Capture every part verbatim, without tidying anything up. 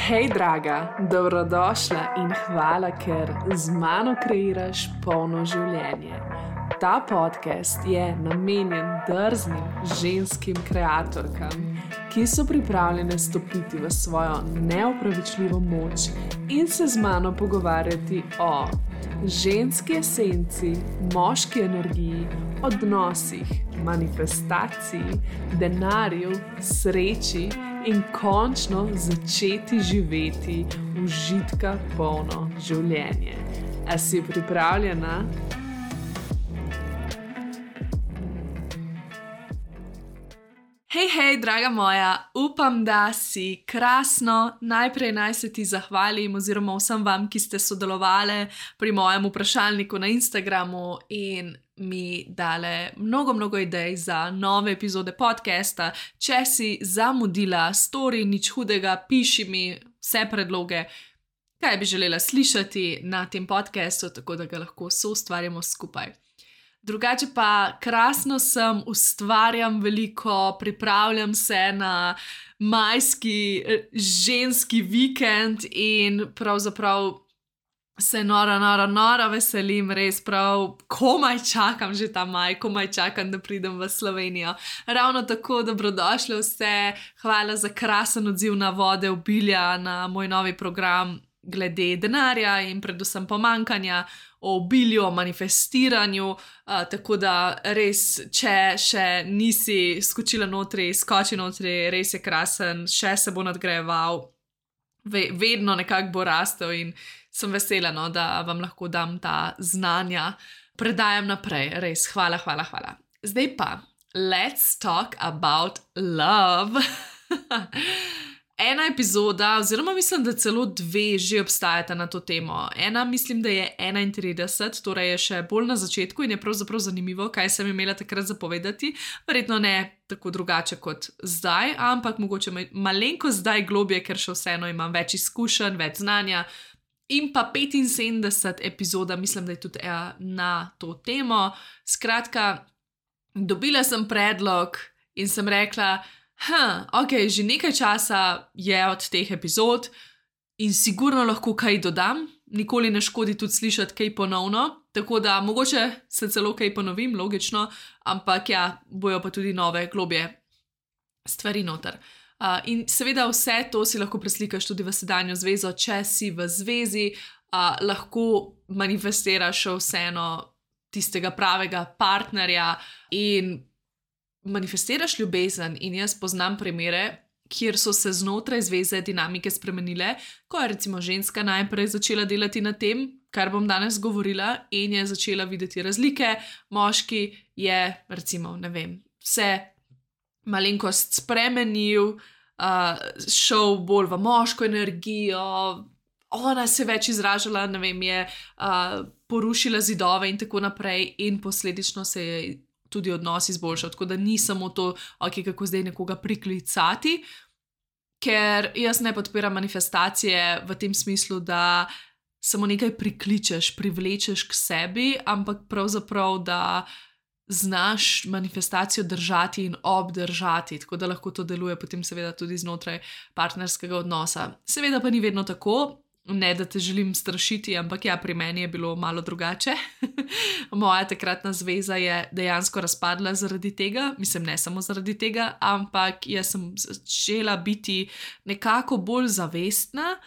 Hej, draga, dobrodošla in hvala, ker z mano kreiraš polno življenje. Ta podcast je namenjen drznim ženskim kreatorkam, ki so pripravljene stopiti v svojo neopravičljivo moč in se z mano pogovarjati o ženski esenci, moški energiji, odnosih, manifestaciji, denarju, sreči in končno začeti živeti užitka polno življenje. A si pripravljena? Hej, hej, draga moja, upam, da si krasno. Najprej naj se ti zahvalim oziroma vsem vam, ki ste sodelovali pri mojem vprašalniku na Instagramu in mi dale mnogo, mnogo idej za nove epizode podcasta. Če si zamudila story, nič hudega, piši mi vse predloge, kaj bi želela slišati na tem podcastu, tako da ga lahko soustvarjamo skupaj. Drugače pa krasno sem, ustvarjam veliko, pripravljam se na majski ženski vikend in pravzaprav se noro, noro, noro veselim, res prav komaj čakam že ta maj, komaj čakam, da pridem v Slovenijo. Ravno tako dobrodošli vse, hvala za krasen odziv na Vode obilja, na moj novi program glede denarja in predvsem pomankanja, o obilju, o manifestiranju, uh, tako da res, če še nisi skočila notri, skoči notri, res je krasen, še se bo nadgrajeval, Ve, vedno nekako bo rastel in sem vesela, no, da vam lahko dam ta znanja, predajam naprej, res, hvala, hvala, hvala. Zdaj pa, let's talk about love. Ena epizoda, oziroma mislim, da celo dve že obstajata na to temo. Ena mislim, da je enaintrideset, torej je še bolj na začetku in je pravzaprav zanimivo, kaj sem imela takrat zapovedati. Verjetno ne tako drugače kot zdaj, ampak mogoče malenko zdaj globje, ker še vseeno imam več izkušenj, več znanja. In pa petinsedemdeset epizoda, mislim, da je tudi na to temo. Skratka, dobila sem predlog in sem rekla, Ha, ok, že nekaj časa je od teh epizod in sigurno lahko kaj dodam, nikoli ne škodi tudi slišati kaj ponovno, tako da mogoče se celo kaj ponovim, logično, ampak ja, bojo pa tudi nove globje stvari noter. Uh, in seveda vse to si lahko preslikaš tudi v sedanjo zvezo, če si v zvezi, uh, lahko manifestiraš vseeno tistega pravega partnerja in manifestiraš ljubezen. In jaz poznam primere, kjer so se znotraj zveze dinamike spremenile, ko je recimo ženska najprej začela delati na tem, kar bom danes govorila, in je začela videti razlike, moški je recimo, ne vem, vse malenkost spremenil, uh, šel bolj v moško energijo, ona se več izražala, ne vem, je uh, porušila zidove in tako naprej in posledično se je tudi odnos izboljšal, tako da ni samo to, ok, kako zdaj nekoga priklicati, ker jaz ne podpiram manifestacije v tem smislu, da samo nekaj prikličeš, privlečeš k sebi, ampak pravzaprav, da znaš manifestacijo držati in obdržati, tako da lahko to deluje potem seveda tudi znotraj partnerskega odnosa. Seveda pa ni vedno tako, ne da te želim strašiti, ampak ja, pri meni je bilo malo drugače. Moja takratna zveza je dejansko razpadla zaradi tega, mislim, ne samo zaradi tega, ampak jaz sem začela biti nekako bolj zavestna,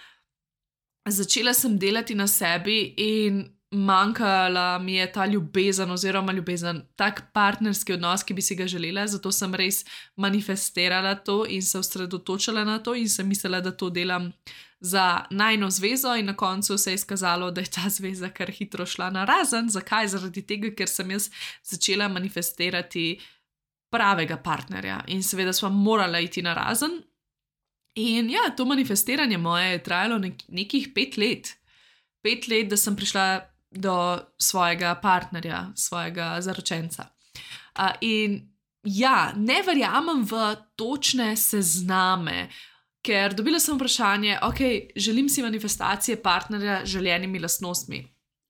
začela sem delati na sebi in manjkala mi je ta ljubezen oziroma ljubezen, tak partnerski odnos, ki bi si ga želela, zato sem res manifestirala to in se osredotočila na to in sem mislila, da to delam za najino zvezo in na koncu se je izkazalo, da je ta zveza kar hitro šla na razen. Zakaj? Zaradi tega, ker sem jaz začela manifestirati pravega partnerja in seveda sva morala iti na razen. In ja, to manifestiranje moje je trajalo nek- nekih pet let. Pet let, da sem prišla do svojega partnerja, svojega zaročenca. Uh, in ja, ne verjamem v točne sezname, ker dobila sem vprašanje, ok, želim si manifestacije partnerja z želenimi lastnostmi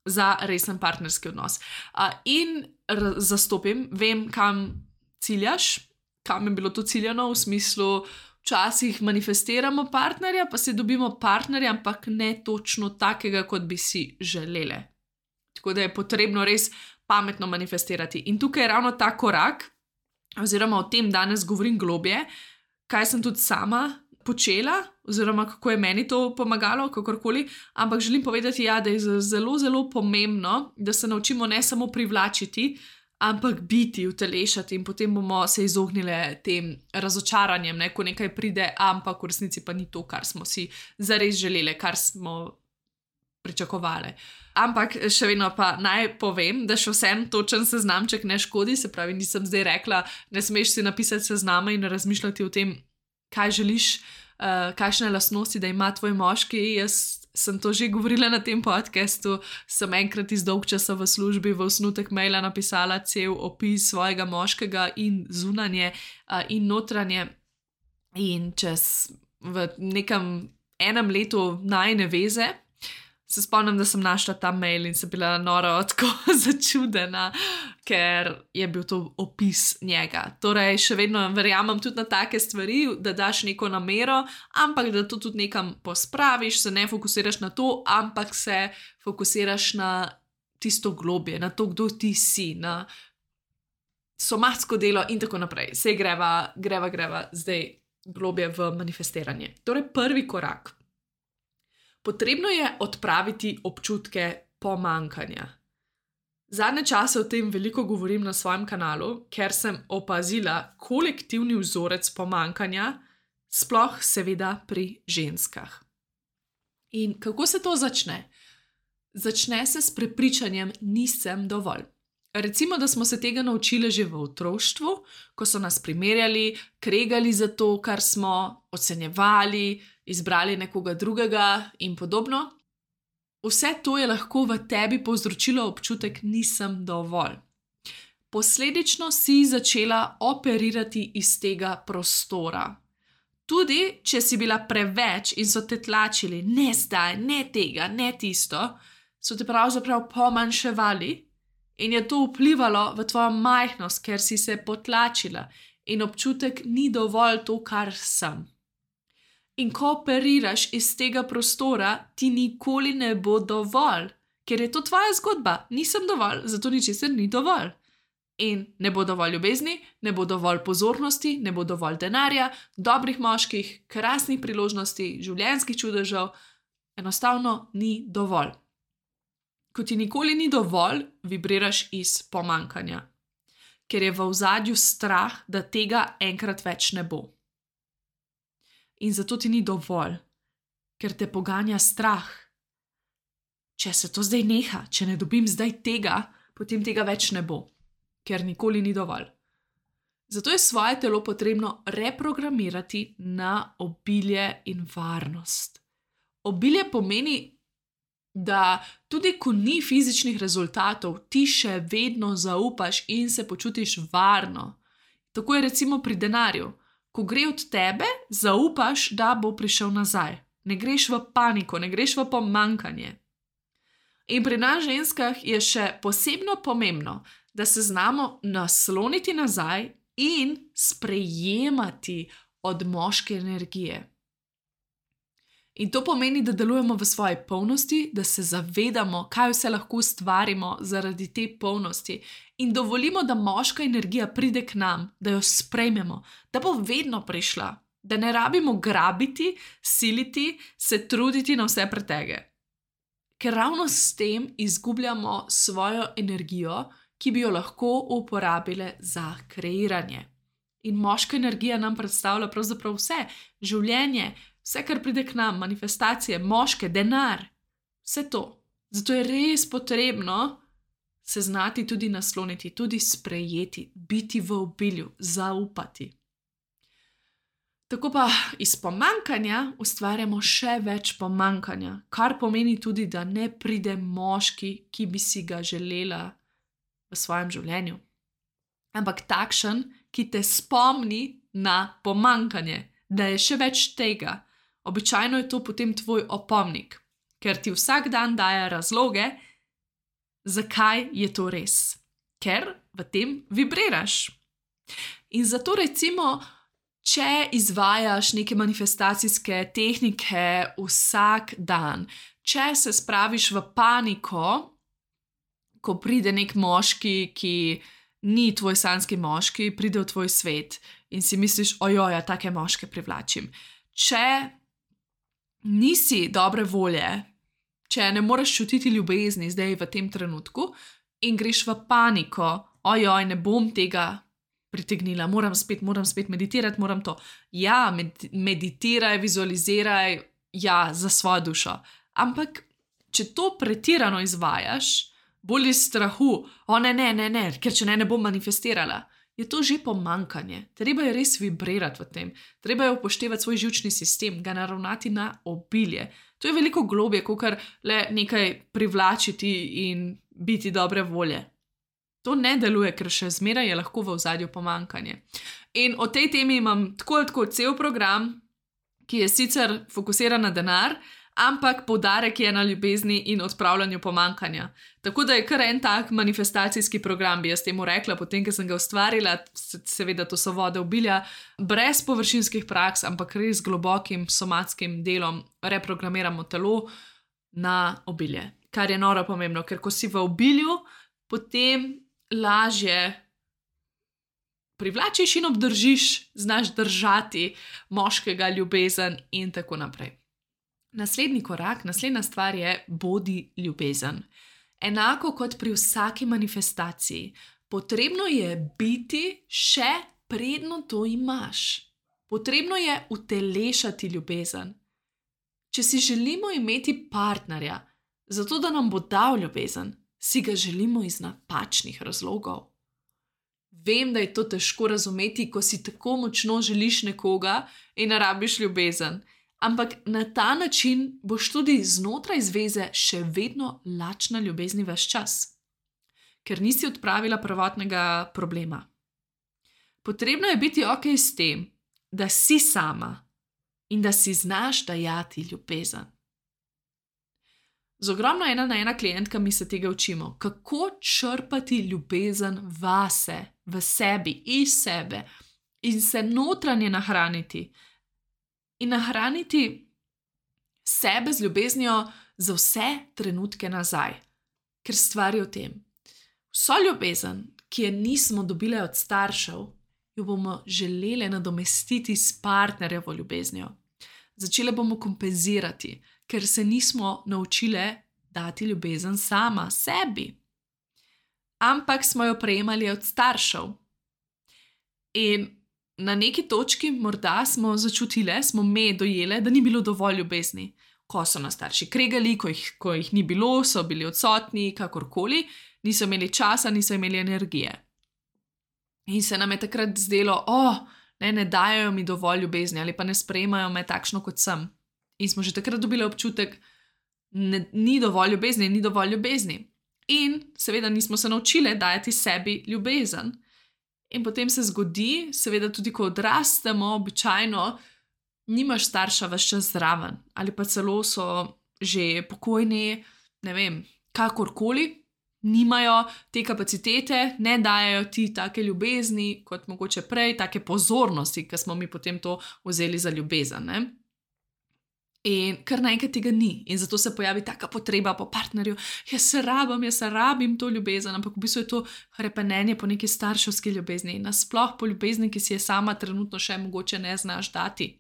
za resen partnerski odnos. Uh, in r- zastopim, vem, kam ciljaš, kam je bilo to ciljano, v smislu, včasih manifestiramo partnerja, pa si dobimo partnerja, ampak ne točno takega, kot bi si želeli. Tako da je potrebno res pametno manifestirati. In tukaj je ravno ta korak, oziroma o tem danes govorim globje, kaj sem tudi sama počela, oziroma kako je meni to pomagalo, kakorkoli, ampak želim povedati, ja, da je zelo, zelo pomembno, da se naučimo ne samo privlačiti, ampak biti, utelešati in potem bomo se izognili tem razočaranjem, ne, ko nekaj pride, ampak v resnici pa ni to, kar smo si zares želeli, kar smo pričakovali. Ampak še vedno pa naj povem, da še vsem točen seznamček ne škodi, se pravi, nisem zdaj rekla, ne smeš si napisati seznama in razmišljati o tem, kaj želiš, uh, kakšne lastnosti, da ima tvoj moški. Jaz sem to že govorila na tem podcastu, sem enkrat iz dolg časa v službi v osnutek maila napisala cel opis svojega moškega in zunanje uh, in notranje in čez v nekem enem letu najine veze se spomnim, da sem našla ta mail in sem bila noro tako začudena, ker je bil to opis njega. Torej, še vedno verjamem tudi na take stvari, da daš neko namero, ampak da to tudi nekam pospraviš, se ne fokusiraš na to, ampak se fokusiraš na tisto globje, na to, kdo ti si, na somatsko delo in tako naprej. Sej greva, greva, greva zdaj globje v manifestiranje. Torej, prvi korak. Potrebno je odpraviti občutke pomanjkanja. Zadnje čase o tem veliko govorim na svojem kanalu, ker sem opazila kolektivni vzorec pomanjkanja, sploh seveda pri ženskah. In kako se to začne? Začne se s prepričanjem nisem dovolj. Recimo, da smo se tega naučili že v otroštvu, ko so nas primerjali, kregali za to, kar smo, ocenjevali, izbrali nekoga drugega in podobno. Vse to je lahko v tebi povzročilo občutek nisem dovolj. Posledično si začela operirati iz tega prostora. Tudi, če si bila preveč in so te tlačili, ne zdaj, ne tega, ne tisto, so te pravzaprav pomanjševali in je to vplivalo v tvojo majhnost, ker si se potlačila in občutek ni dovolj to, kar sem. In ko operiraš iz tega prostora, ti nikoli ne bo dovolj, ker je to tvoja zgodba. Nisem dovolj, zato ničesar ni dovolj. In ne bo dovolj ljubezni, ne bo dovolj pozornosti, ne bo dovolj denarja, dobrih moških, krasnih priložnosti, življenjskih čudežev. Enostavno ni dovolj. Ko ti nikoli ni dovolj, vibriraš iz pomanjkanja, ker je v ozadju strah, da tega enkrat več ne bo. In zato ti ni dovolj, ker te poganja strah. Če se to zdaj neha, če ne dobim zdaj tega, potem tega več ne bo, ker nikoli ni dovolj. Zato je svoje telo potrebno reprogramirati na obilje in varnost. Obilje pomeni, da tudi ko ni fizičnih rezultatov, ti še vedno zaupaš in se počutiš varno. Tako je recimo pri denarju. Ko gre od tebe, zaupaš, da bo prišel nazaj. Ne greš v paniko, ne greš v pomanjkanje. In pri nas ženskah je še posebno pomembno, da se znamo nasloniti nazaj in sprejemati od moške energije. In to pomeni, da delujemo v svoji polnosti, da se zavedamo, kaj vse lahko ustvarimo zaradi te polnosti in dovolimo, da moška energija pride k nam, da jo sprejmemo, da bo vedno prišla, da ne rabimo grabiti, siliti, se truditi na vse pretege. Ker ravno s tem izgubljamo svojo energijo, ki bi jo lahko uporabile za kreiranje. In moška energija nam predstavlja pravzaprav vse, življenje, vse, kar pride k nam, manifestacije, moške, denar, vse to. Zato je res potrebno se znati tudi nasloniti, tudi sprejeti, biti v obilju, zaupati. Tako pa iz pomanjkanja ustvarjamo še več pomanjkanja, kar pomeni tudi, da ne pride moški, ki bi si ga želela v svojem življenju. Ampak takšen, ki te spomni na pomanjkanje, da je še več tega. Običajno je to potem tvoj opomnik, ker ti vsak dan daje razloge, zakaj je to res. Ker v tem vibriraš. In zato recimo, Če izvajaš neke manifestacijske tehnike vsak dan, če se spraviš v paniko, ko pride nek moški, ki ni tvoj sanjski moški, pride v tvoj svet in si misliš, ojoj, ja, take moške privlačim. Če nisi dobre volje, če ne moreš čutiti ljubezni zdaj v tem trenutku in greš v paniko, ojoj, ne bom tega pritegnila, moram spet, moram spet meditirati, moram to. Ja, med- meditiraj, vizualiziraj, ja, za svojo dušo. Ampak, če to pretirano izvajaš, bolj iz strahu, o ne, ne, ne, ne, ker če ne, ne bom manifestirala, je to že pomanjkanje. Treba je res vibrirati v tem. Treba je upoštevati svoj živčni sistem, ga naravnati na obilje. To je veliko globje, kakor le nekaj privlačiti in biti dobre volje. To ne deluje, ker še zmeraj je lahko v ozadju pomanjkanje. In o tej temi imam tako ali tako cel program, ki je sicer fokusiran na denar, ampak poudarek je na ljubezni in odpravljanju pomanjkanja. Tako da je kar en tak manifestacijski program, bi jaz temu rekla, potem, ko sem ga ustvarila, se- seveda to so vode obilja, brez površinskih praks, ampak res globokim somatskim delom reprogramiramo telo na obilje. Kar je noro pomembno, ker ko si v obilju, potem lažje privlačiš in obdržiš, znaš držati moškega, ljubezen in tako naprej. Naslednji korak, naslednja stvar je bodi ljubezen. Enako kot pri vsaki manifestaciji, potrebno je biti še predno to imaš. Potrebno je utelešati ljubezen. Če si želimo imeti partnerja, zato da nam bo dal ljubezen, si ga želimo iz napačnih razlogov. Vem, da je to težko razumeti, ko si tako močno želiš nekoga in ne rabiš ljubezen. Ampak na ta način boš tudi znotraj zveze še vedno lačna ljubezni ves čas, ker nisi odpravila prvotnega problema. Potrebno je biti ok s tem, da si sama in da si znaš dajati ljubezen. Z ogromno ena na ena klientkami se tega učimo, kako črpati ljubezen vase, v sebi, iz sebe in se notranje nahraniti. In nahraniti sebe z ljubeznijo za vse trenutke nazaj. Ker stvar je v tem. Vso ljubezen, ki je nismo dobile od staršev, jo bomo želele nadomestiti s partnerjevo ljubeznijo. Začele bomo kompenzirati, ker se nismo naučile dati ljubezen sama sebi. Ampak smo jo prejemali od staršev. In na neki točki morda smo začutile, smo me dojele, da ni bilo dovolj ljubezni. Ko so nas starši kregali, ko jih, ko jih ni bilo, so bili odsotni, kakorkoli, niso imeli časa, niso imeli energije. In se nam je takrat zdelo, oh, ne, ne dajo mi dovolj ljubezni ali pa ne sprejemajo me takšno, kot sem. In smo že takrat dobili občutek, ne, ni dovolj ljubezni, ni dovolj ljubezni. In seveda nismo se naučile dajati sebi ljubezen. In potem se zgodi, seveda tudi ko odrastemo, običajno nimaš starša ves čas zraven, ali pa celo so že pokojni, ne vem, kakorkoli, nimajo te kapacitete, ne dajajo ti take ljubezni, kot mogoče prej, take pozornosti, ki smo mi potem to vzeli za ljubezen. Ne? In kar naenkrat tega ni. In zato se pojavi taka potreba po partnerju, jaz se rabim, jaz se rabim to ljubezen, ampak v bistvu je to hrepenenje po neki starševski ljubezni in nasploh po ljubezni, ki si je sama trenutno še mogoče ne znaš dati.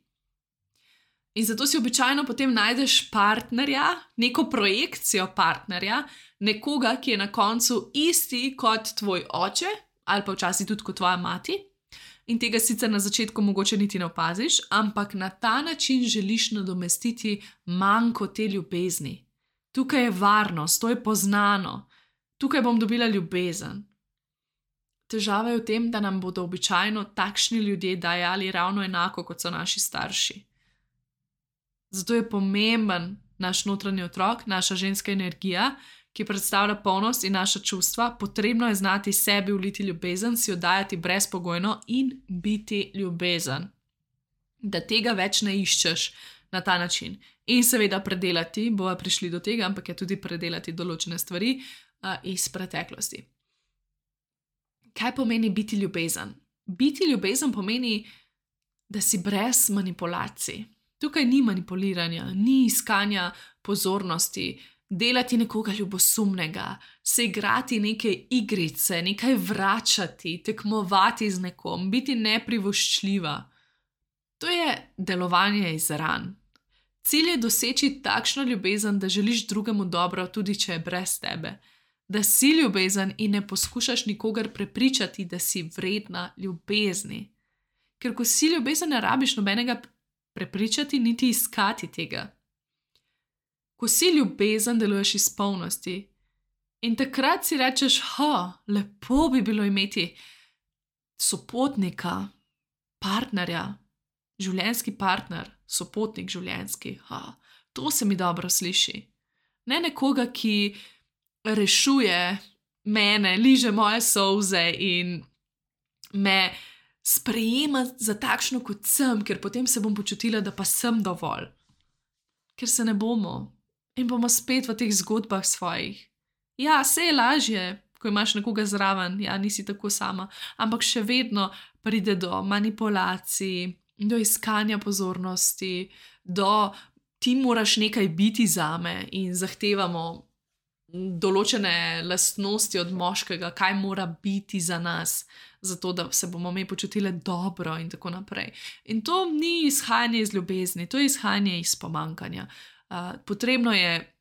In zato si običajno potem najdeš partnerja, neko projekcijo partnerja, nekoga, ki je na koncu isti kot tvoj oče ali pa včasih tudi kot tvoja mati. In tega sicer na začetku mogoče niti ne opaziš, ampak na ta način želiš nadomestiti manko te ljubezni. Tukaj je varnost, to je poznano. Tukaj bom dobila ljubezen. Težava je v tem, da nam bodo običajno takšni ljudje dajali ravno enako, kot so naši starši. Zato je pomemben naš notranji otrok, naša ženska energija, ki predstavlja polnost in naša čustva. Potrebno je znati sebi vliti ljubezen, si jo dajati brezpogojno in biti ljubezen. Da tega več ne iščeš na ta način. In seveda predelati, bova prišli do tega, ampak je tudi predelati določene stvari uh, iz preteklosti. Kaj pomeni biti ljubezen? Biti ljubezen pomeni da si brez manipulacij. Tukaj ni manipuliranja, ni iskanja pozornosti, delati nekoga ljubosumnega, se igrati neke igrice, nekaj vračati, tekmovati z nekom, biti neprivoščljiva. To je delovanje iz ran. Cilj je doseči takšno ljubezen, da želiš drugemu dobro, tudi če je brez tebe. Da si ljubezen in ne poskušaš nikogar prepričati, da si vredna ljubezni. Ker ko si ljubezen, ne rabiš nobenega prepričati, niti iskati tega. Ko si ljubezen, deluješ iz polnosti. In takrat si rečeš, ha, lepo bi bilo imeti sopotnika, partnerja, življenjski partner, sopotnik življenjski. Ha, to se mi dobro sliši. Ne nekoga, ki rešuje mene, liže moje solze in me sprejema za takšno, kot sem, ker potem se bom počutila, da pa sem dovolj. Ker se ne bomo. In bomo spet v teh zgodbah svojih. Ja, se je lažje, ko imaš nekoga zraven, ja, nisi tako sama, ampak še vedno pride do manipulacij, do iskanja pozornosti, do ti moraš nekaj biti zame in zahtevamo določene lastnosti od moškega, kaj mora biti za nas, zato da se bomo mi počutile dobro in tako naprej. In to ni izhajanje iz ljubezni, to je izhajanje iz pomanjkanja. Uh, potrebno je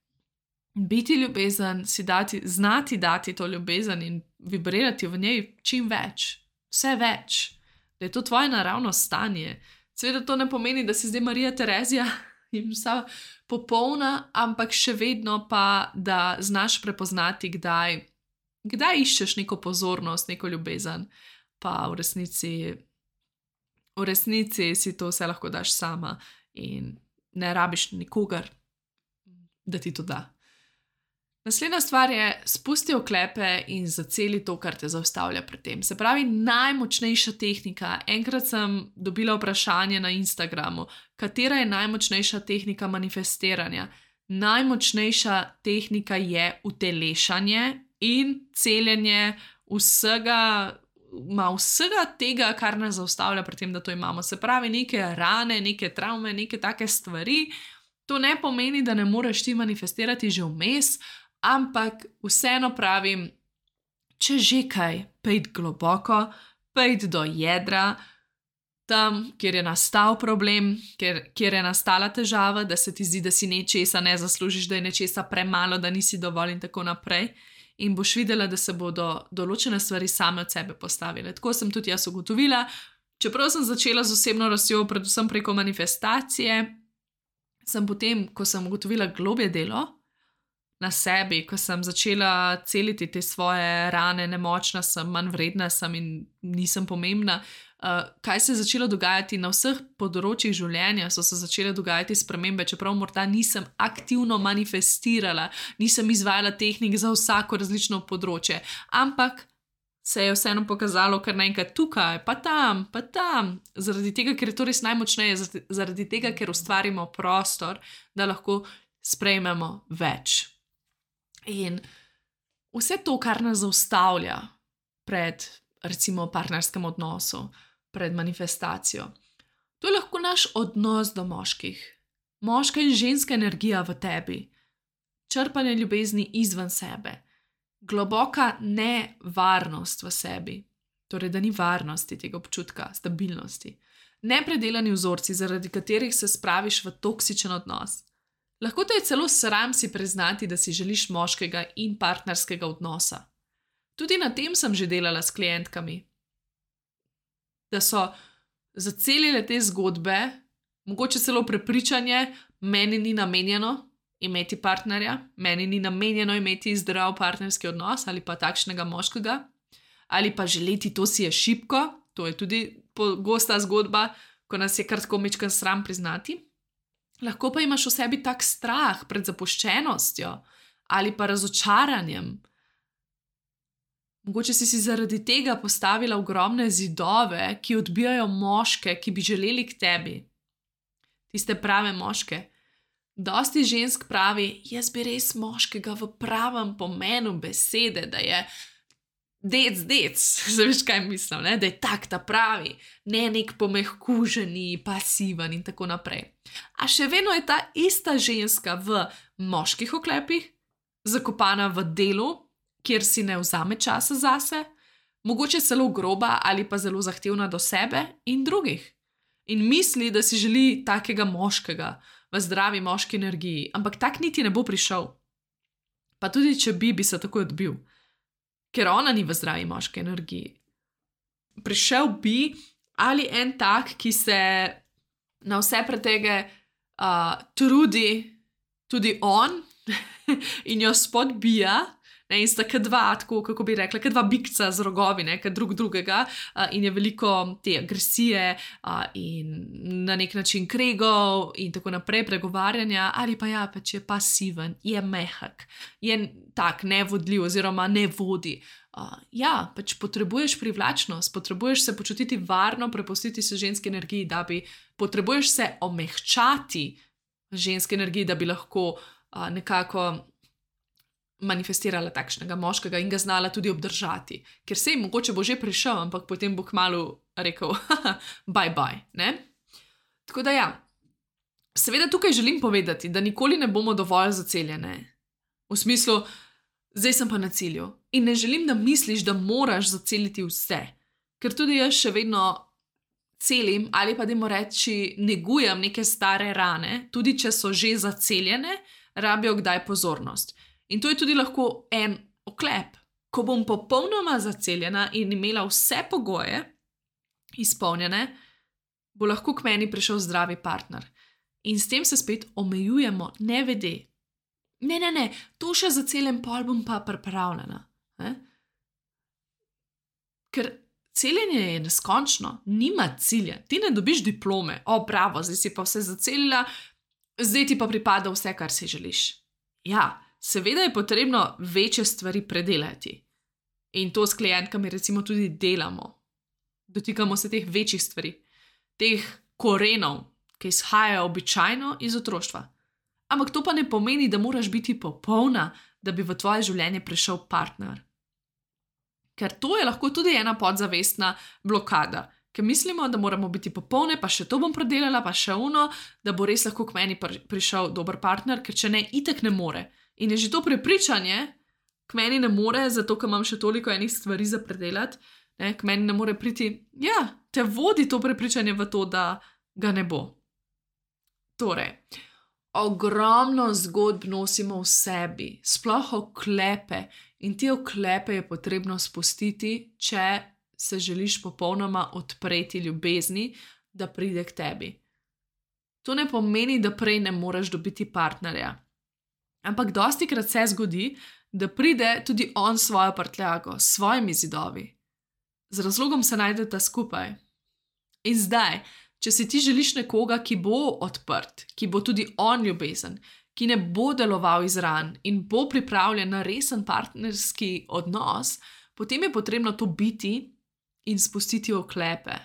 biti ljubezen, si dati, znati dati to ljubezen in vibrirati v njej čim več, vse več, da je to tvoje naravno stanje. Seveda to ne pomeni, da si zdaj Marija Terezija in vsa popolna, ampak še vedno pa, da znaš prepoznati, kdaj, kdaj iščeš neko pozornost, neko ljubezen, pa v resnici, v resnici si to vse lahko daš sama in ne rabiš nikogar, da ti to da. Naslednja stvar je, spusti oklepe in zaceli to, kar te zaustavlja pred tem. Se pravi, najmočnejša tehnika. Enkrat sem dobila vprašanje na Instagramu, katera je najmočnejša tehnika manifestiranja. Najmočnejša tehnika je utelešanje in celjenje vsega, ma vsega tega, kar nas zaustavlja pred tem, da to imamo. Se pravi, neke rane, neke travme, neke take stvari. To ne pomeni, da ne moreš ti manifestirati že vmes, ampak vseeno pravim, če že kaj, pejdi globoko, pejdi do jedra, tam, kjer je nastal problem, kjer, kjer je nastala težava, da se ti zdi, da si nečesa ne zaslužiš, da je nečesa premalo, da nisi dovolj in tako naprej. In boš videla, da se bodo določene stvari same od sebe postavile. Tako sem tudi jaz ugotovila, čeprav sem začela z osebno rastjo, predvsem preko manifestacije, sem potem, ko sem ugotovila globje delo na sebi, ko sem začela celiti te svoje rane, nemočna sem, manj vredna sem in nisem pomembna, uh, kaj se je začelo dogajati na vseh področjih življenja, so se začele dogajati spremembe, čeprav morda nisem aktivno manifestirala, nisem izvajala tehnik za vsako različno področje, ampak se je vseeno pokazalo kar naenkrat tukaj, pa tam, pa tam, zaradi tega, ker je to res najmočneje, zaradi tega, ker ustvarimo prostor, da lahko sprejmemo več. In vse to, kar nas zaustavlja pred, recimo, partnerskem odnosu, pred manifestacijo, to je lahko naš odnos do moških, moška in ženska energija v tebi, črpanje ljubezni izven sebe, globoka nevarnost v sebi, torej da ni varnosti tega občutka, stabilnosti, nepredelani vzorci, zaradi katerih se spraviš v toksičen odnos. Lahko te je celo sram si priznati, da si želiš moškega in partnerskega odnosa. Tudi na tem sem že delala s klientkami, da so zacelile te zgodbe, mogoče celo prepričanje, meni ni namenjeno imeti partnerja, meni ni namenjeno imeti zdrav partnerski odnos ali pa takšnega moškega, ali pa želeti, to si je šibko, to je tudi pogosta zgodba, ko nas je kar tako majčkeno sram priznati. Lahko pa imaš v sebi tak strah pred zapuščenostjo ali pa razočaranjem. Mogoče si si zaradi tega postavila ogromne zidove, ki odbijajo moške, ki bi želeli k tebi. Tiste prave moške. Dosti žensk pravi, jaz bi res moškega v pravem pomenu besede, da je dec, dec, zaveš, kaj mislim, ne? Da je tak ta pravi, ne nek pomehkuženi, pasiven in tako naprej. A še vedno je ta ista ženska v moških oklepih, zakopana v delu, kjer si ne vzame časa zase, mogoče celo groba ali pa zelo zahtevna do sebe in drugih. In misli, da si želi takega moškega v zdravi moški energiji, ampak tak niti ne bo prišel. Pa tudi, če bi, bi se takoj odbil, ker ona ni v zdravi moški energiji. Prišel bi ali en tak, ki se na vse pretege uh, trudi, tudi on, in jo spodbija, ne, in sta kot dva, tako, kako bi rekla, kot dva bikca z rogovi, ne, kot drug drugega, uh, in je veliko te agresije uh, in na nek način kregov in tako naprej, pregovarjanja, ali pa ja, pač je pasiven, je mehak, je tak nevodljiv oziroma ne vodi. Uh, ja, pač potrebuješ privlačnost, potrebuješ se počutiti varno, prepustiti se ženski energiji, da bi, potrebuješ se omehčati ženski energiji, da bi lahko uh, nekako manifestirala takšnega moškega in ga znala tudi obdržati. Ker sej mogoče bo že prišel, ampak potem bo kmalu rekel bye bye, ne? Tako da ja, seveda tukaj želim povedati, da nikoli ne bomo dovolj zaceljene. V smislu, zdaj sem pa na cilju in ne želim, da misliš, da moraš zaceliti vse. Ker tudi jaz še vedno celim ali pa dajmo reči negujem neke stare rane, tudi če so že zaceljene, rabijo kdaj pozornost. In to je tudi lahko en oklep. Ko bom popolnoma zaceljena in imela vse pogoje izpolnjene, bo lahko k meni prišel zdravi partner. In s tem se spet omejujemo, ne vede. Ne, ne, ne, to še zaceljem, pol bom pa pripravljena. Ne? Ker celjenje je neskončno, nima cilja. Ti ne dobiš diplome, o bravo, zdaj si pa vse zaceljila, zdaj ti pa pripada vse, kar si želiš. Ja, seveda je potrebno večje stvari predelati. In to s klientkami recimo tudi delamo. Dotikamo se teh večjih stvari, teh korenov, ki izhajajo običajno iz otroštva. Ampak to pa ne pomeni, da moraš biti popolna, da bi v tvoje življenje prišel partner. Ker to je lahko tudi ena podzavestna blokada, ker mislimo, da moramo biti popolne, pa še to bom predelala, pa še uno, da bo res lahko k meni prišel dober partner, ker če ne, itek ne more. In je že to prepričanje, k meni ne more, zato ker imam še toliko enih stvari za predelati, ne, k meni ne more priti, ja, te vodi to prepričanje v to, da ga ne bo. Torej, ogromno zgodb nosimo v sebi, sploh oklepe, in te oklepe je potrebno spustiti, če se želiš popolnoma odpreti ljubezni, da pride k tebi. To ne pomeni, da prej ne moreš dobiti partnerja. Ampak dostikrat se zgodi, da pride tudi on svojo prtljago, s svojimi zidovi. Z razlogom se najdeta skupaj. In zdaj, če si ti želiš nekoga, ki bo odprt, ki bo tudi on ljubezen, ki ne bo deloval iz ran in bo pripravljen na resen partnerski odnos, potem je potrebno to biti in spustiti oklepe.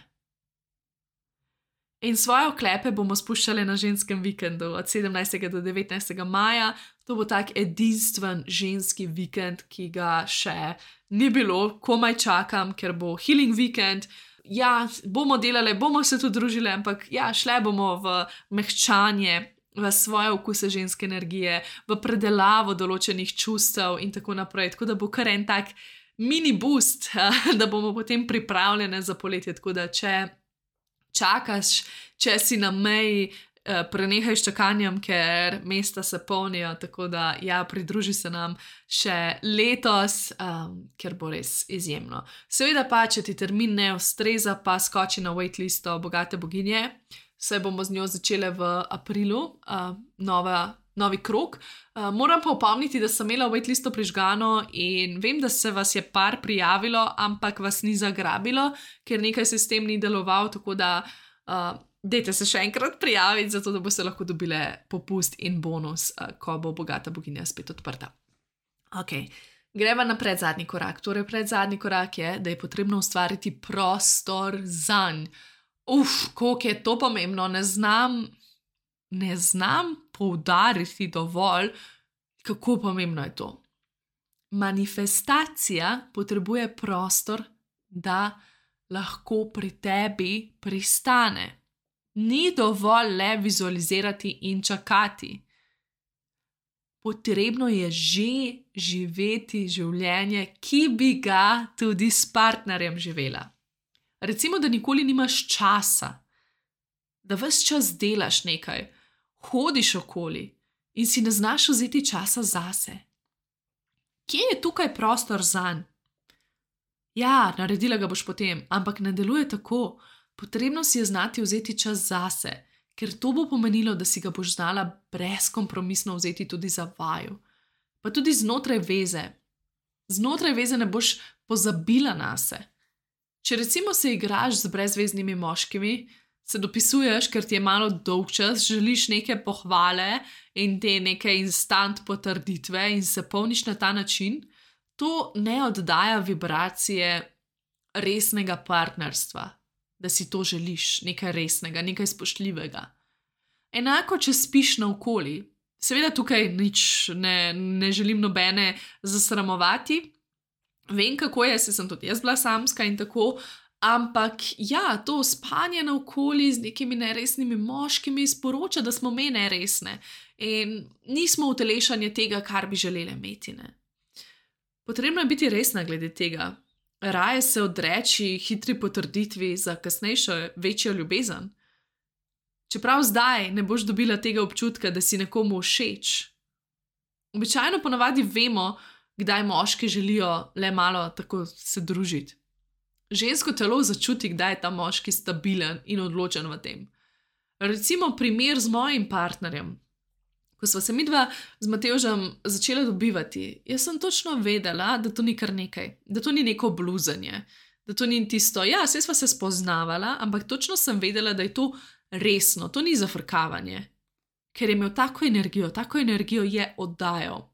In svoje oklepe bomo spuščali na ženskem vikendu od sedemnajstega do devetnajstega maja. To bo tak edinstven ženski vikend, ki ga še ni bilo, komaj čakam, ker bo healing vikend. Ja, bomo delali, bomo se tudi družili, ampak ja, šle bomo v mehčanje, v svoje okuse ženske energije, v predelavo določenih čustev in tako naprej. Tako da bo kar en tak mini boost, da bomo potem pripravljene za poletje. Tako da če čakaš, če si na meji, prenehaj s čakanjem, ker mesta se polnijo, tako da ja, pridruži se nam še letos, um, ker bo res izjemno. Seveda pa, če ti termin ne ustreza, pa skoči na waitlisto Bogate boginje, saj bomo z njo začele v aprilu, uh, nova, novi krog. Uh, moram pa opomniti, da sem imela waitlisto prižgano in vem, da se vas je par prijavilo, ampak vas ni zagrabilo, ker nekaj sistem ni deloval, tako da uh, dajte se še enkrat prijaviti, zato da boste lahko dobile popust in bonus, uh, ko bo Bogata boginja spet odprta. Ok, greva na predzadnji korak. Torej, predzadnji korak je, da je potrebno ustvariti prostor zanj. Uf, koliko je to pomembno, ne znam, ne znam poudariti dovolj, kako pomembno je to. manifestacija potrebuje prostor, da lahko pri tebi pristane. Ni dovolj le vizualizirati in čakati. Potrebno je že živeti življenje, ki bi ga tudi s partnerjem živela. Recimo, da nikoli nimaš časa, da ves čas delaš nekaj, hodiš okoli in si ne znaš vzeti časa zase. Kje je tukaj prostor zanj? Ja, naredila ga boš potem, ampak ne deluje tako. Potrebno si je znati vzeti čas zase, ker to bo pomenilo, da si ga boš znala brezkompromisno vzeti tudi za vaju. Pa tudi znotraj veze. Znotraj veze ne boš pozabila nase. Če recimo se igraš z brezveznimi moškimi, se dopisuješ, ker ti je malo dolgčas, želiš neke pohvale in te neke instant potrditve in se polniš na ta način, to ne oddaja vibracije resnega partnerstva, da si to želiš, nekaj resnega, nekaj spoštljivega. Enako, če spiš naokoli. Seveda tukaj nič ne, ne želim nobene zasramovati. Vem, kako je, saj sem tudi jaz bila samska in tako, ampak ja, to spanje naokoli z nekimi neresnimi moškimi sporoča, da smo me neresne in nismo utelešanje tega, kar bi želeli imeti. Ne? Potrebno je biti resna glede tega. Raje se odreči hitri potrditvi za kasnejšo večjo ljubezen. Čeprav zdaj ne boš dobila tega občutka, da si nekomu všeč. Običajno ponavadi vemo, kdaj moški želijo le malo tako se družiti. Žensko telo začuti, kdaj je ta moški stabilen in odločen v tem. Recimo primer z mojim partnerjem. Ko sva se midva z Matevžem začela dobivati, jaz sem točno vedela, da to ni kar nekaj, da to ni neko bluzanje, da to ni tisto, ja, saj sva se spoznavala, ampak točno sem vedela, da je to resno, to ni zafrkavanje, ker je imel tako energijo, tako energijo je oddajal.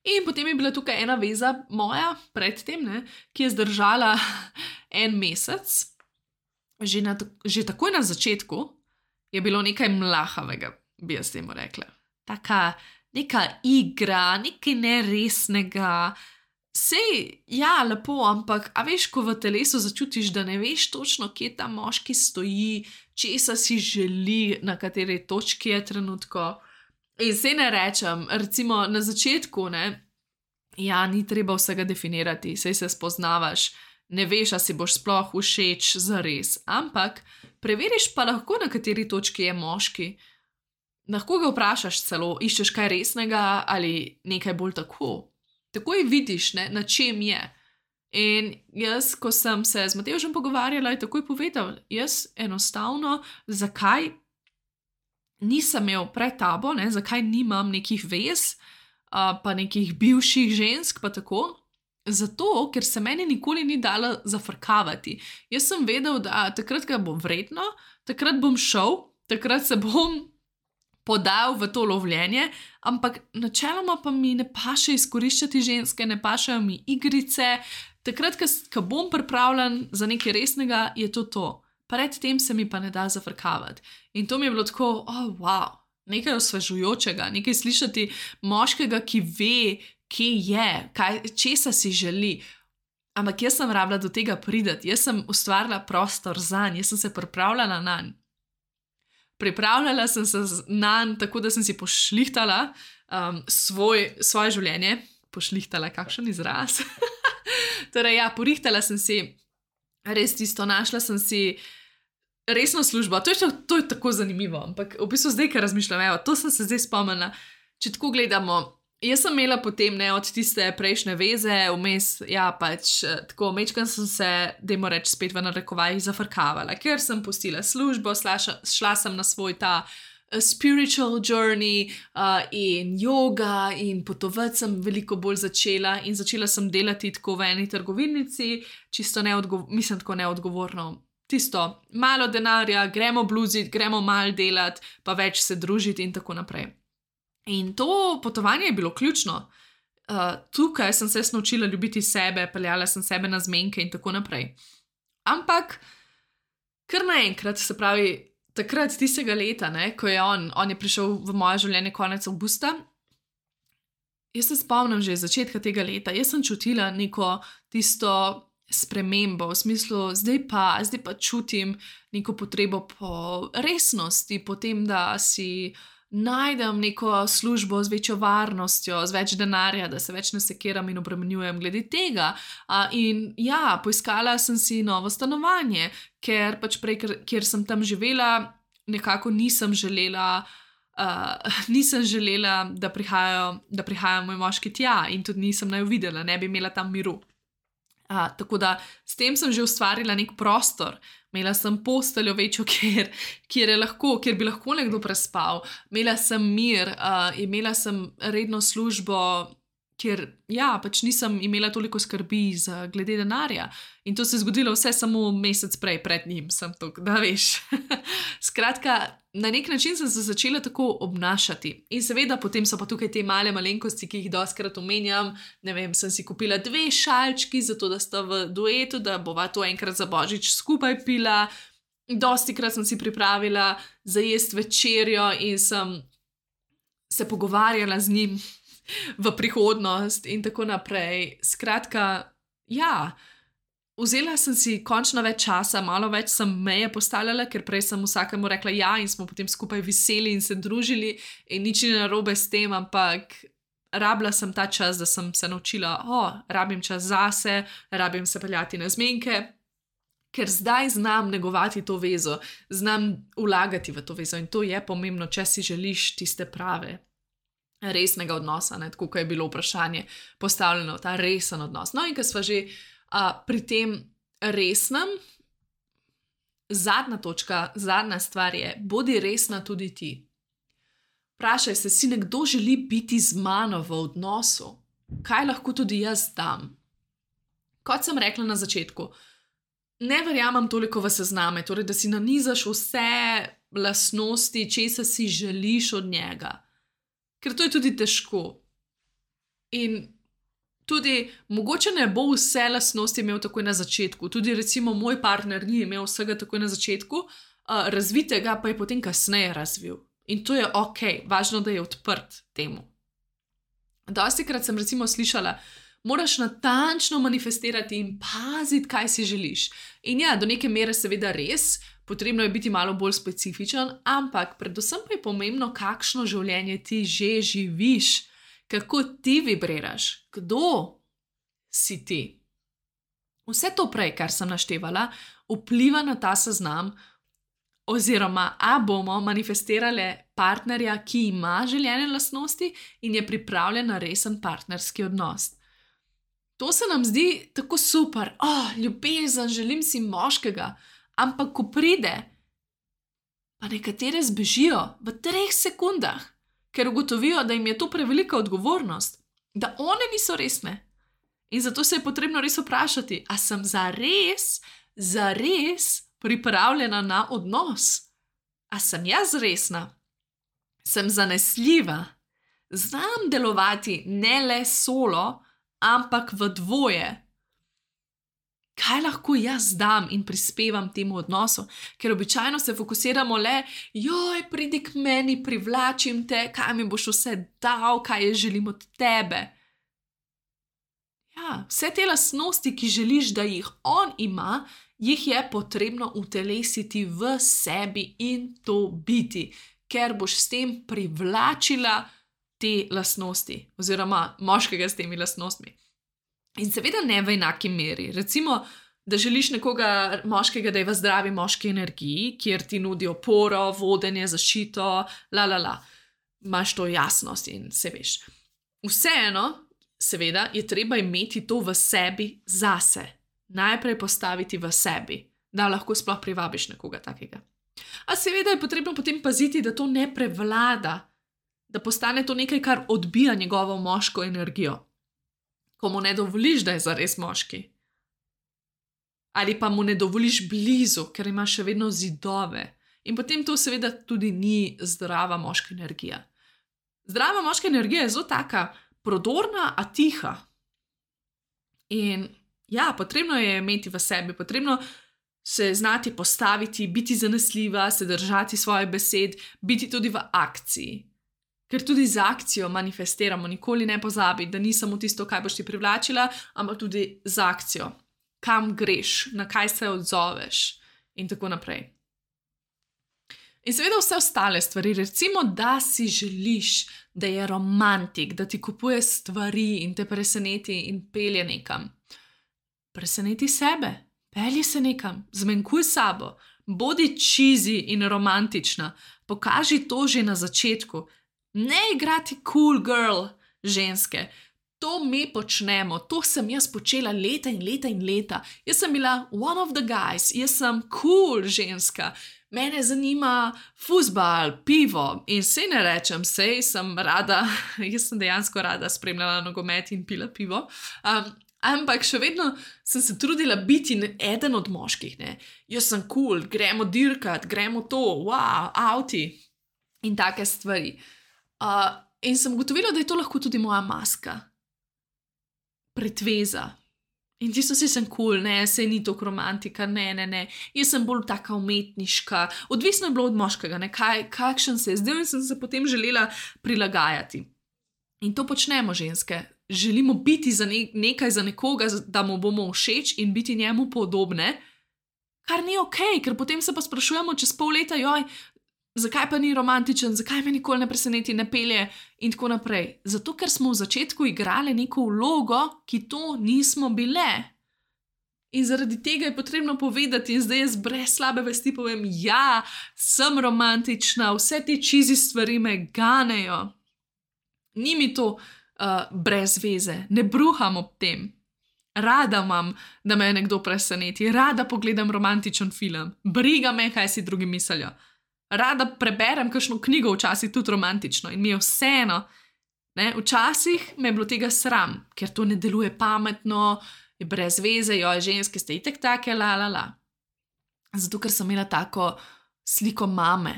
In potem je bila tukaj ena veza moja, predtem, ne, ki je zdržala en mesec, že, na, že takoj na začetku je bilo nekaj mlahavega, bi jaz temu rekla. Taka neka igra, nekaj neresnega. Sej, ja, lepo, ampak a veš, ko v telesu začutiš, da ne veš točno, kje ta moški stoji, česa si želi, na kateri točki je trenutko. In se ne rečem, recimo na začetku, ne, ja, ni treba vsega definirati, sej se spoznavaš, ne veš, a si boš sploh všeč zares, ampak preveriš pa lahko, na kateri točki je moški. Lahko ga vprašaš celo, iščeš kaj resnega ali nekaj bolj tako. Takoj vidiš, ne, na čem je. In jaz, ko sem se z Matevžem pogovarjala, je takoj povedal, jaz enostavno, zakaj nisem imel pred tabo, ne, zakaj nimam nekih vez, uh, pa nekih bivših žensk, pa tako. Zato, ker se meni nikoli ni dala zafrkavati. Jaz sem vedel, da takrat ga bo vredno, takrat bom šel, takrat se bom podal v to lovljenje, ampak načeloma pa mi ne paše izkoriščati ženske, ne pašejo mi igrice. Takrat, ko bom pripravljen za nekaj resnega, je to to. Predtem se mi pa ne da zafrkavati. In to mi je bilo tako, oh, wow, nekaj osvežujočega, nekaj slišati moškega, ki ve, kje je, kaj, česa si želi. Ampak jaz sem rabila do tega priti, jaz sem ustvarila prostor zanj, jaz sem se pripravljala nanj. Pripravljala sem se nanj tako, da sem si pošlihtala um, svoj, svoje življenje. Pošlihtala, kakšen izraz. Torej, ja, porihtala sem si res tisto, našla sem si resno službo. To je, to je tako zanimivo, ampak v bistvu zdaj, ker razmišljam, evo, to sem se zdaj spomnila. Če tako gledamo, jaz sem imela potem ne, od tiste prejšnje veze, vmes, ja, pač tako, mečkam sem se, dajmo reči, spet v narekovajih zafrkavala, ker sem pustila službo, slaša, šla sem na svoj ta uh, spiritual journey uh, in yoga in potovati sem veliko bolj začela in začela sem delati tako v eni trgovinici, čisto neodgovor, mislim tako neodgovorno. Tisto, malo denarja, gremo bluziti, gremo mal delati, pa več se družiti in tako naprej. In to potovanje je bilo ključno. Uh, tukaj sem se naučila ljubiti sebe, peljala sem sebe na zmenke in tako naprej. Ampak, kar naenkrat, se pravi, takrat tistega leta, ne, ko je on, on je prišel v moje življenje konec avgusta, Jaz se spomnim že iz začetka tega leta, jaz sem čutila neko tisto spremembo, v smislu, zdaj pa, zdaj pa čutim neko potrebo po resnosti, po tem, da si najdem neko službo z večjo varnostjo, z več denarja, da se več ne sekiram in obremenjujem glede tega. A, in ja, poiskala sem si novo stanovanje, ker pač prej, ker, kjer sem tam živela, nekako nisem želela, uh, nisem želela, da prihajajo, da prihajajo moj moški tja in tudi nisem naj videla, ne bi imela tam miru. Uh, tako da s tem sem že ustvarila nek prostor, imela sem posteljo večjo, kjer, kjer, je lahko, kjer bi lahko nekdo prespal, imela sem mir, uh, imela sem redno službo, kjer ja, pač nisem imela toliko skrbi za glede denarja. In to se je zgodilo vse samo mesec prej, pred njim sem to, da veš. Skratka, na nek način sem se začela tako obnašati. In seveda potem so pa tukaj te male malenkosti, ki jih dostikrat omenjam. Ne vem, sem si kupila dve šalčki, zato da sta v duetu, da bova to enkrat za božič skupaj pila. Dostikrat sem si pripravila za jest večerjo in sem se pogovarjala z njim v prihodnost in tako naprej. Skratka, ja, vzela sem si končno več časa, malo več sem meje postavljala, ker prej sem vsakemu rekla ja in smo potem skupaj veseli in se družili in nič ni narobe s tem, ampak rabila sem ta čas, da sem se naučila, o, rabim čas zase, rabim se peljati na zmenke, ker zdaj znam negovati to vezo, znam vlagati v to vezo in to je pomembno, če si želiš tiste prave resnega odnosa, ne, tako kot je bilo vprašanje postavljeno, ta resen odnos. No in ko sva že a, pri tem resnem, zadnja točka, zadnja stvar je, bodi resna tudi ti. Vprašaj se, si nekdo želi biti z mano v odnosu? Kaj lahko tudi jaz dam? Kot sem rekla na začetku, ne verjamem toliko v sezname, torej da si nanizaš vse lastnosti, česa si želiš od njega. Ker to je tudi težko. In tudi mogoče ne bo vse lastnosti imel takoj na začetku. Tudi recimo moj partner ni imel vsega takoj na začetku, uh, razvitega pa je potem kasneje razvil. In to je ok, važno, da je odprt temu. Dostikrat sem recimo slišala, moraš natančno manifestirati in paziti, kaj si želiš. In ja, do neke mere seveda res, potrebno je biti malo bolj specifičen, ampak predvsem pa je pomembno, kakšno življenje ti že živiš, kako ti vibriraš, kdo si ti. Vse to prej, kar sem naštevala, vpliva na ta seznam, oziroma a bomo manifestirali partnerja, ki ima željene lastnosti in je pripravljen na resen partnerski odnos. To se nam zdi tako super, oh, ljubezen, želim si moškega, ampak ko pride, pa nekatere zbežijo v treh sekundah, ker ugotovijo, da jim je to prevelika odgovornost, da one niso resne. In zato se je potrebno res vprašati, a sem zares, zares pripravljena na odnos? A sem jaz resna? Sem zanesljiva? Znam delovati ne le solo, ampak v dvoje? Kaj lahko jaz dam in prispevam temu odnosu? Ker običajno se fokusiramo le, joj, pridi k meni, privlačim te, kaj mi boš vse dal, kaj jaz želim od tebe. Ja, vse te lastnosti, ki želiš, da jih on ima, jih je potrebno utelesiti v sebi in to biti, ker boš s tem privlačila te lastnosti, oziroma moškega s temi lastnostmi. In seveda ne v enaki meri. Recimo, da želiš nekoga moškega, da je v zdravi moški energiji, kjer ti nudi oporo, vodenje, zaščito, la la la. Imaš to jasnost in se veš. Vseeno, seveda, je treba imeti to v sebi zase. Najprej postaviti v sebi, da lahko sploh privabiš nekoga takega. A seveda je potrebno potem paziti, da to ne prevlada, da postane to nekaj, kar odbija njegovo moško energijo. Ko mu ne dovoliš, da je zares moški. Ali pa mu ne dovoliš blizu, ker ima še vedno zidove. In potem to seveda tudi ni zdrava moška energija. Zdrava moška energija je zelo taka prodorna, a tiha. In ja, potrebno je imeti v sebi, potrebno se znati postaviti, biti zanesljiva, se držati svoje besed, biti tudi v akciji. Ker tudi z akcijo manifestiramo, nikoli ne pozabi, da ni samo tisto, kaj boš ti privlačila, ampak tudi z akcijo. Kam greš, na kaj se odzoveš in tako naprej. In seveda vse ostale stvari, recimo, da si želiš, da je romantik, da ti kupuje stvari in te preseneti in pelje nekam. Preseneti sebe, pelji se nekam, zmenkuj sabo, bodi cheesy in romantična, pokaži to že na začetku. Ne igrati cool girl ženske. To mi počnemo, to sem jaz počela leta in leta in leta. Jaz sem bila one of the guys, jaz sem cool ženska. Mene zanima fuzbal, pivo in se ne rečem, sej sem rada, jaz sem dejansko rada spremljala nogomet in pila pivo, um, ampak še vedno sem se trudila biti eden od moških. Ne? Jaz sem cool, gremo dirkat, gremo to, wow, avti in take stvari. Uh, in sem ugotovila, da je to lahko tudi moja maska. Pretveza. In tisto si sem cool, ne, sej ni toliko romantika, ne, ne, ne. Jaz sem bolj taka umetniška. Odvisno je bilo od moškega, ne, kaj, kakšen se je zdel in sem se potem želela prilagajati. In to počnemo ženske. Želimo biti za ne, nekaj za nekoga, da mu bomo všeč in biti njemu podobne, kar ni okej, ker potem se pa sprašujemo čez pol leta, joj, zakaj pa ni romantičen, zakaj me nikoli ne preseneti, ne pelje in tako naprej. Zato, ker smo v začetku igrali neko vlogo, ki to nismo bile. In zaradi tega je potrebno povedati in zdaj jaz brez slabe vesti povem, ja, sem romantična, vse te cheesy stvari me ganejo. Ni mi to uh, brez veze, ne bruham ob tem. Rada imam, da me nekdo preseneti, rada pogledam romantičen film, briga me, kaj si drugi mislijo. Rada preberem kakšno knjigo, včasih tudi romantično in mi je vseeno. Ne? Včasih me je bilo tega sram, ker to ne deluje pametno, je brez veze, jo, ženske ste itak take, la, la, la. Zato, ker sem imela tako sliko mame,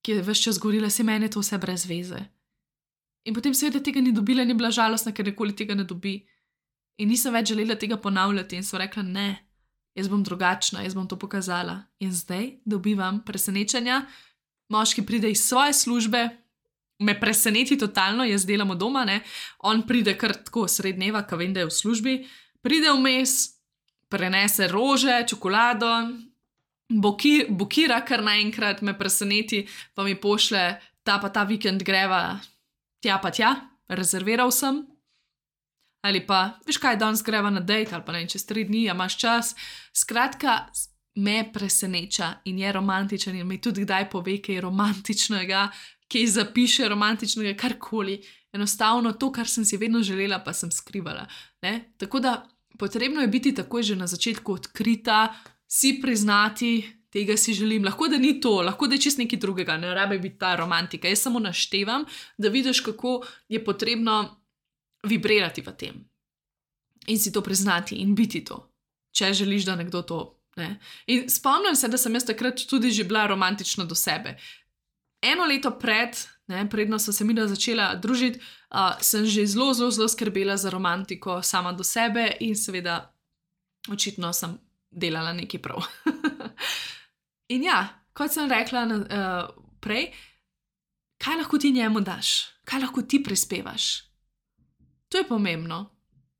ki je ves čas govorila, se meni je to vse brez veze. In potem seveda tega ni dobila in je bila žalostna, ker nikoli tega ne dobi. In nisem več želela tega ponavljati in sem rekla, ne. Jaz bom drugačna, jaz bom to pokazala. In zdaj dobivam presenečenja. Moški pride iz svoje službe, me preseneti totalno, jaz delam od doma, ne. On pride kar tako sred dneva, ko vem, da je v službi, pride vmes, prenese rože, čokolado, boki, bokira kar naenkrat, me preseneti, pa mi pošle, ta pa ta vikend greva tja pa tja, rezerviral sem. Ali pa, veš kaj, danes greva na dejt, ali pa ne, čez tri dni, a imaš čas. Skratka, me preseneča in je romantičen in mi tudi kdaj pove, kaj je romantičnega, kaj zapiše romantičnega, karkoli. Enostavno to, kar sem si vedno želela, pa sem skrivala. Ne? Tako da potrebno je biti takoj že na začetku odkrita, si priznati, tega si želim. Lahko da ni to, lahko da je čist nekaj drugega, ne rabi biti ta romantika. Jaz samo naštevam, da vidiš, kako je potrebno vibrirati v tem in si to priznati in biti to, če želiš, da nekdo to, ne. In spomnim se, da sem jaz takrat tudi že bila romantična do sebe. Eno leto pred, ne, predno so se mi da začela družiti, uh, sem že zelo, zelo, zelo skrbela za romantiko sama do sebe in seveda očitno sem delala nekaj prav. In ja, kot sem rekla uh, prej, kaj lahko ti njemu daš? Kaj lahko ti prispevaš? To je pomembno.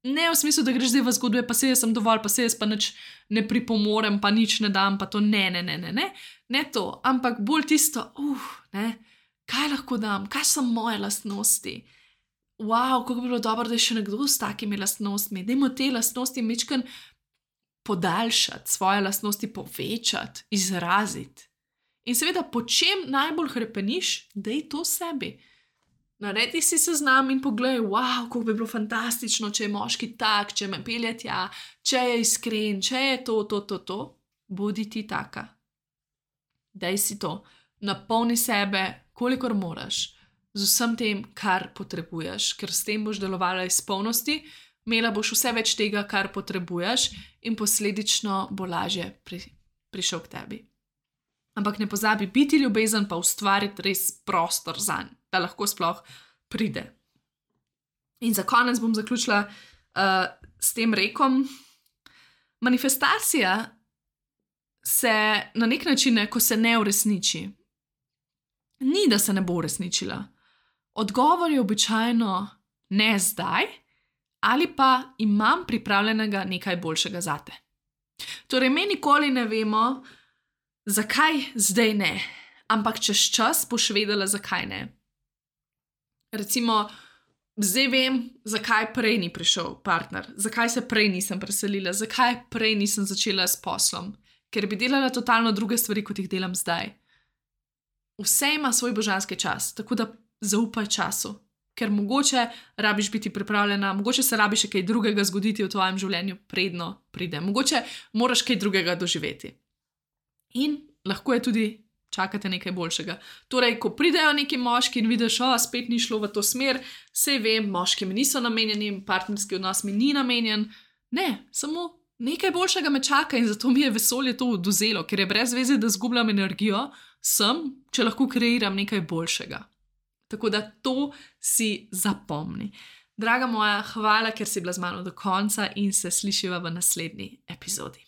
Ne v smislu, da greš zdaj v zgodbe, pa se jaz sem dovolj, pa se jaz pa nič ne pripomorem, pa nič ne dam, pa to ne, ne, ne, ne, ne. Ne to, ampak bolj tisto, uh, ne, kaj lahko dam, kaj so moje lastnosti. Wow, kako bi bilo dobro, da je še nekdo s takimi lastnostmi. Dajmo te lastnosti mečken podaljšati, svoje lastnosti povečati, izraziti. In seveda, po čem najbolj hrepeniš, daj to sebi. Naredi si seznam in pogledaj, wow, kako bi bilo fantastično, če je moški tak, če me pelje tja, če je iskren, če je to, to, to, to, bodi ti taka. Daj si to, napolni sebe, kolikor moraš, z vsem tem, kar potrebuješ, ker s tem boš delovala iz polnosti, imela boš vse več tega, kar potrebuješ in posledično bo lažje pri, prišel k tebi. Ampak ne pozabi biti ljubezen, pa ustvariti res prostor zanj, da lahko sploh pride. In za konec bom zaključila uh, s tem rekom. Manifestacija se na nek način, ko se ne uresniči, ni, da se ne bo uresničila. Odgovor je običajno ne zdaj, ali pa imam pripravljenega nekaj boljšega zate. Torej, mi nikoli ne vemo, zakaj zdaj ne, ampak čez čas boš vedela, zakaj ne. Recimo, zdaj vem, zakaj prej ni prišel partner, zakaj se prej nisem preselila, zakaj prej nisem začela s poslom, ker bi delala totalno druge stvari, kot jih delam zdaj. Vse ima svoj božanski čas, tako da zaupaj času, ker mogoče rabiš biti pripravljena, mogoče se rabi še kaj drugega zgoditi v tvojem življenju, predno pride. Mogoče moraš kaj drugega doživeti. In lahko je tudi čakate nekaj boljšega. Torej, ko pridejo neki moški in vidiš, o, spet ni šlo v to smer, sej vem, moški mi niso namenjeni, partnerski odnos mi ni namenjen. Ne, samo nekaj boljšega me čaka in zato mi je vesolje to odvzelo, ker je brez veze, da zgubljam energijo, sem, če lahko kreiram nekaj boljšega. Tako da to si zapomni. Draga moja, hvala, ker si bila z mano do konca in se slišiva v naslednji epizodi.